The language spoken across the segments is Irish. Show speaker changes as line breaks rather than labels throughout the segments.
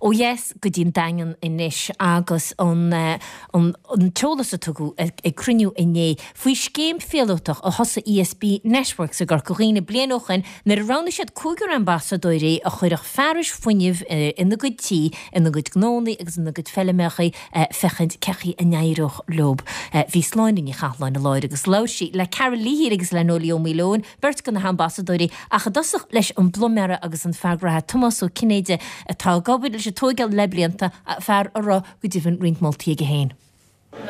Ó dheas go dtí an Daingean anois agus an an t-eolas a tugadh ag cruinniú inné faoi scéim phíolótach a thosaigh ESB Networks i gCorca Dhuibhne bliain ó shoin nuair a roghnaigh siad cúigear ambasadóirí a chuirfeadh fearais fuinnimh ina gcuid tí, ina gcuid gnónnaí agus ina gcuid feilmeachaí féachaint cé chaoi a n-éireodh leo. Bhí Sláine Ní Chathalláin i láthair agus labhair sí le Carol Leahy agus le Noelie Ó Maoileoin, beirt de na hambasadóirí, ach i dtosach leis an bpluiméara agus an fear graithe Tomás Ó Cinnéide atá ag obair leis an tóigeáil le blianta, fear a raibh go deimhin roinnt moltaí aige féin.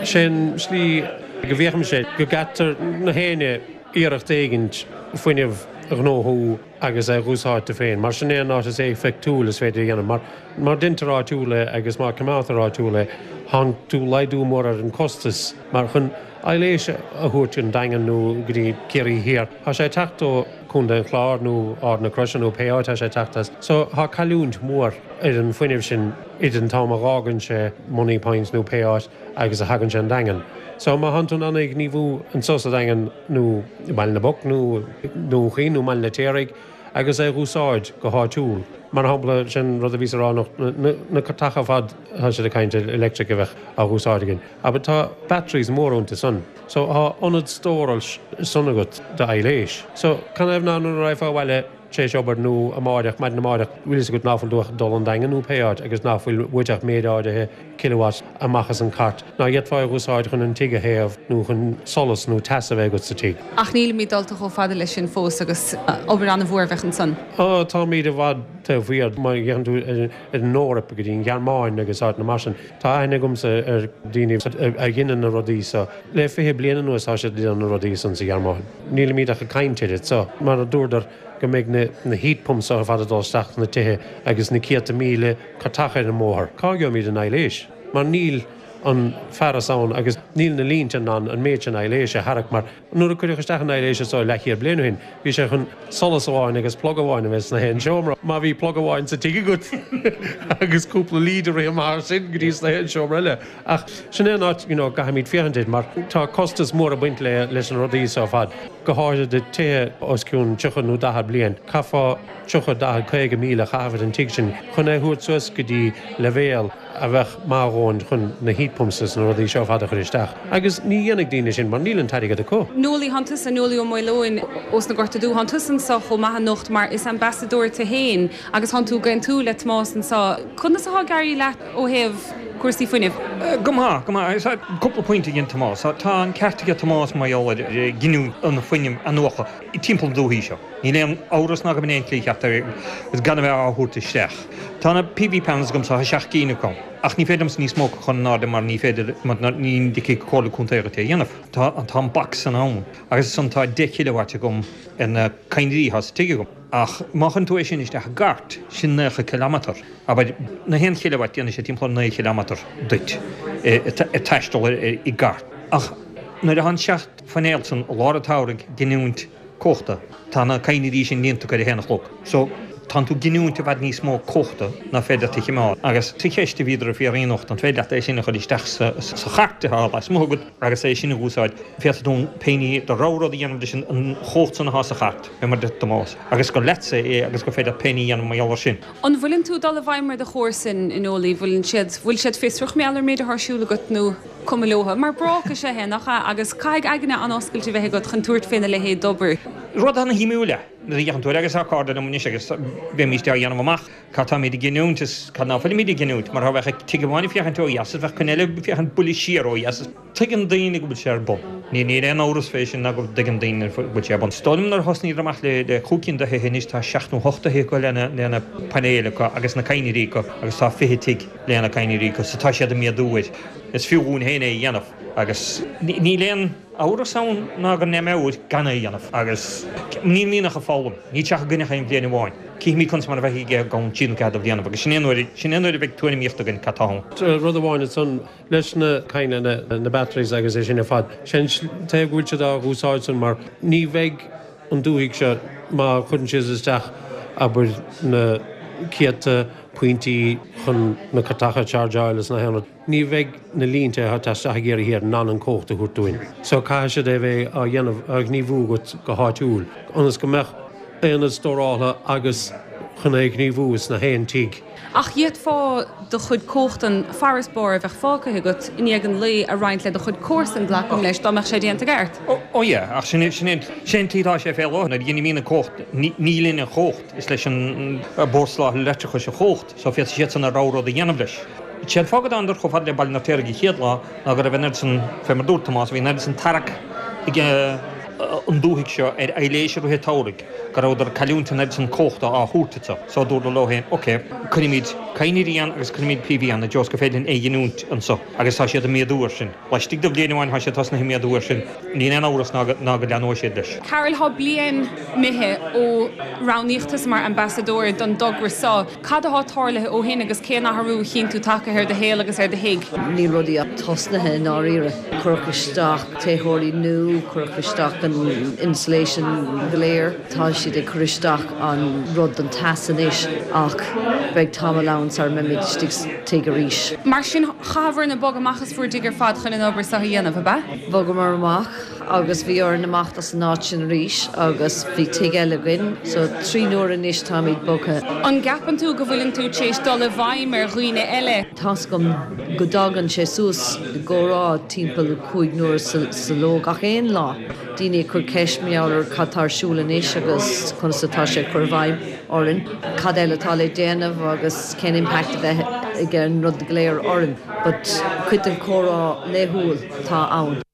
Sé an slí go bhféachaimse go gcaitear na héinne iarracht éigint fuinneamh a ghnóthú agus é dh'úsáid tú féin, mar sin é an áit is éifeachtúil is féidir a dhéanamh. Mar má deintear áitiúil é agus má coimeádtar áitiúil é, thánn tú laghdú mór ar an costas, mar chun aibhléis a thabhairt an Daingean nó go dtí Ciarraí Thiar, tá sé ag teacht ó Contae an Chláir nó Ard na Croise nó pé áit tá sé ag teacht as. So tá cailliúint mhór ar an fuinneamh sin idir an t-am a dh'fhágann sé Moneypoint nó pé áit agus a thagann sé an Daingean. So má thánn tú in ann é ghníomhú anso sa Daingean nó i mBaile na bPoc nó Dún Chaoin nó mBaile an Fheirtéaraigh agus é dh'úsáid go háitiúil. Mar shampla, sin rud a bhíos a rá anocht, na cairteacha ar fad tá siad ag caint ar electric a bheith á dh'úsáid againn. Abair tá batteries móra iontu san. So tá ionad stóráil san agat d'aibhléis. So canathaobh ná nuair a raghfá abhaile tar éis obair nó amáireach, maidin amáireach, bhfuil fhios agat ná fuil tú ach dul an Daingean nó pé áit agus ná fuil uait ach méid áirithe kilowatt amach as an cairt, ná d'fhéadfá é a dh'úsáid chun an tigh a théamh nó chun solas nó teas a bheith agat sa tigh.
Ach nílimid dulta chomh fada leis sin fós agus obair an-mhór a bheadh ansan.
Ó, táimid i bhfad taobh thiar. Má fhéachann tú ar an Eoraip go dtí an Ghearmáin agus áiteanna mar sin, Tá aithne agamsa ar daoine a dheineann na rudaí so. Le 20 bliain anuas tá siad ag déanamh na rudaí san sa Ghearmáin. Nílimid ach ag caint air so. Mar a dúradar go mbeidh na heat pumps so ar fad ag dul isteach sna tithe agus na céadta míle cairteacha ar an mbóthar. Cá gheobhaimid an aibhléis? Mar níl an fearas ann agus níl na línte in ann an méid sin aibhléise a tharrac mar Nuair a cuireadh isteach an aibhléis so leathchéad bliain ó shin, bhí sé chun solas amháin agus plug amháin a bheith sna haon seomra. Má bhí plug amháin sa tigh agat agus cúpla lead ag rith amach as sin go dtí sna haon seomra eile. Ach sin é an áit you know gcaithfimid féachaint air mar tá costas mór ag baint le leis na rudaí so ar fad, go háirithe do tithe os cionn 30 nó 40 bliain. Caithfeá 30, 40, 50 míle a chaitheamh ar an tigh sin chun é a thabhairt suas go dtí leibhéal a bheadh maith a dhóthain chun na heat pumps is na rudaí seo ar fad a chur isteach. Agus ní dhéanfaidh daoine sin mar níl an t-airgead acu.
Noelie, thánn tusa, Noelie Ó Maoileoin ós na Gorta Dubha, thánn tusa anso chomh maith anocht mar is ambasadóir tu fhéin agus thánn tú ag aontú le Tomás anso. Conas athá ag éirí leat ó thaobh cúrsaí fuinnimh?
Go maith, go maith. Cúpla pointe a dhein Tomás. Tá an ceart aige Tomás mar gheall ar ghiniúint an fuinnimh athnuaite timpeall na dúthaí seo. Níl aon amhras ná go mb'in é an tslí cheart agus gan a bheith á thabhairt isteach. Tá na PV panels agamsa, tá 7 gcinn acu, ach ní féidir liomsa níos mó acu a chur in airde mar ní féidir, mar ní dtiocfaidh Comhairle Contae dhuit é a dhéanamh. Tá, tá an bac san ann. Agus ansan tá 10 kilowatt agam ar na cadhnraí atá sa tigh agam. Ach má chuireann tú é sin isteach i gcairt, sin 90 kilometre. Abair, na haon chileawatt, déanfaidh sé timpeall ar 9 chileamatar duit ag taisteal i gcairt. Ach nuair atá an 7 phainéal san i lár an tsamhraidh ag giniúint cumhachta. Tá na cadhnraí sin líonta acu ar a haon a chlog. So, tánn tú ag giniúint i bhfad níos mó cumhachta ná féidir leat a chimeád. Agus sa cheist a bhíodar ag fiafraí anocht, an féidir leat é sin a chur isteach sa chairt atá lasmuigh agat agus é sin a úsáid, féadfaidh tú pé ní do rogha rud a dhéanamh leis an chumhacht san atá sa chairt, fé mar a deir Tomás, agus gur leatsa é agus gur féidir leat pé ní a dhéanamh mar gheall air sin.
An bhfuileann tú ag dul i bhfeidhm ar do chomharsain, a Noelie? Bhfuileann siad, bhfuil siad fiosrach mar gheall ar an méid atá ar siúl agat nó cuma leotha? Mar bráca is ea é, nach ea? Agus caithfidh aigne an-oscailte a bheith agat chun tabhairt féna leithéid d'obair.
Rud an-shuimiúil é nuair a fhéachann tú air agus tá cairde liom anois agus bheimíst á dhéanamh amach cad táimid ag giniúint is cad ná fuilimid ag giniúint mar dá mbeadh tigh amháin ag féachaint ó dheas is bheadh ceann eile ag féachaint buille siar ó dheas is Tuigeann daoine go bhfuil sé ar bun. Níl aon amhras fé sin ná go dtuigeann daoine go bhfuil sé ar bun. Is dóigh liom nuair a thosnaíodar amach le chúig cinn de thithe anois tá seacht nó hocht de thithe acu lena painéil acu agus na cadhnraí acu agus tá 20 tigh lena cadhnraí acu so tá siad ag méadú air. Is fiú dhúinn féin é a dhéanamh agus níl aon amhras ann ná go n-imeoidh gan é a dhéanamh agus níl mianach ag foghlaim. Níl sé ach againn ach aon bhliain amháin. Cífimid conas mar a bheidh i gceann trí nó ceathair de bhlianaibh agus sin é an uair sin é an uair a bheidh tuairimíocht againn cad tá ann.
Rud amháin ansan, leis na cadhnraí, na batteries agus é sin ar fad. Sé an taobh go bhfuil siad á dh'úsáid san mar ní bheidh an dúthaigh seo má chuireann siad isteach abair na céadta pointí chun na cairteacha a chargeáil is na haon rud, ní bheidh na línte atá isteach i gCiarraí Thiar in ann an cumhacht a thabhairt dúinn. So caithfidh siad é bheith á dhéanamh, á ghníomhú agat go háitiúil ionas go mbeadh aonad stóráltha agus chun é a ghníomhú sna haon tigh.
Ach d'fhéadfá. Chaithfeá do chuid cumhachtan farasbarr a bheadh fágtha agat i ndiaidh an lae a roinnt le do chuid comharsan, glacaim leis, dá mbeadh sé déanta i gceart.
Ó yeah, ach sin é, sin é, sin é an tslí atá sé fé láthair. Nuair a ghinimid an chumhacht, ní linn an chumhacht, is leis an Bord Soláthair Leictreachais an chumhacht, so féadfaidh siadsan a rogha rud a dhéanamh leis. Sé an fáth go dtánadar chomh fada le Baile an Fheirtéaraigh an chéad lá ná go raibh an oiread san, fé mar dúirt Tomás, bhí an oiread san tarrac ag an dúthaigh seo ar aibhléis i rith an tsamhraidh go rabhadar ag cailliúint an oiread san cumhachta á thabhairt anso. So dúradar leo féin, ok, cuirfimid cadhnraí ann agus cuirfimid PV ann i dtreo is gur féidir linn é a ghiniúint anso. Agus tá siad ag méadú air sin. Laistigh de bhliain amháin tá siad tosnaithe ag méadú air sin. Níl aon amhras ná go leathnóidh siad leis.
Carol, Tá bliain imithe ó roghnaíodh tusa mar ambasadóir don dtogra seo. Cad athá tarlaithe ó shin agus cén athrú a chíonn tú tagtha ar do shaol agus ar do thigh?
Níl rudaí ach tosnaithe i ndáiríre. Cuireadh isteach téitheoirí nua, cuireadh isteach an insulation go léir, tá siad ag cur isteach an rud don teas anois ach beidh tamall ann sara mbeimid istigh sa tigh arís.
Mar sin, chaitheabhair-ne bogadh amach as bhur dtigh ar fad chun an obair seo a dhéanamh, ab ea?
Bhogamar amach. agus bhí orainn imeacht as an áit sin arís agus bhí tigh eile againn so 3 n-uaire anois táimid bogtha.
An gceapann tú go bhfuileann tú tar éis dul i bhfeidhm ar dhaoine eile?
Tá's agam go dtagann sé suas i gcomhrá timpeall 5 n-uaire sa ló gach aon lá. Daoine ag cur ceist mar gheall ar cad tá ar siúl anois agus conas atá sé ag cur i bhfeidhm orainn, cad eile atá le déanamh agus cén impact a bheidh ag an rud go léir orainn. But cuid den chomhrá laethúil atá ann.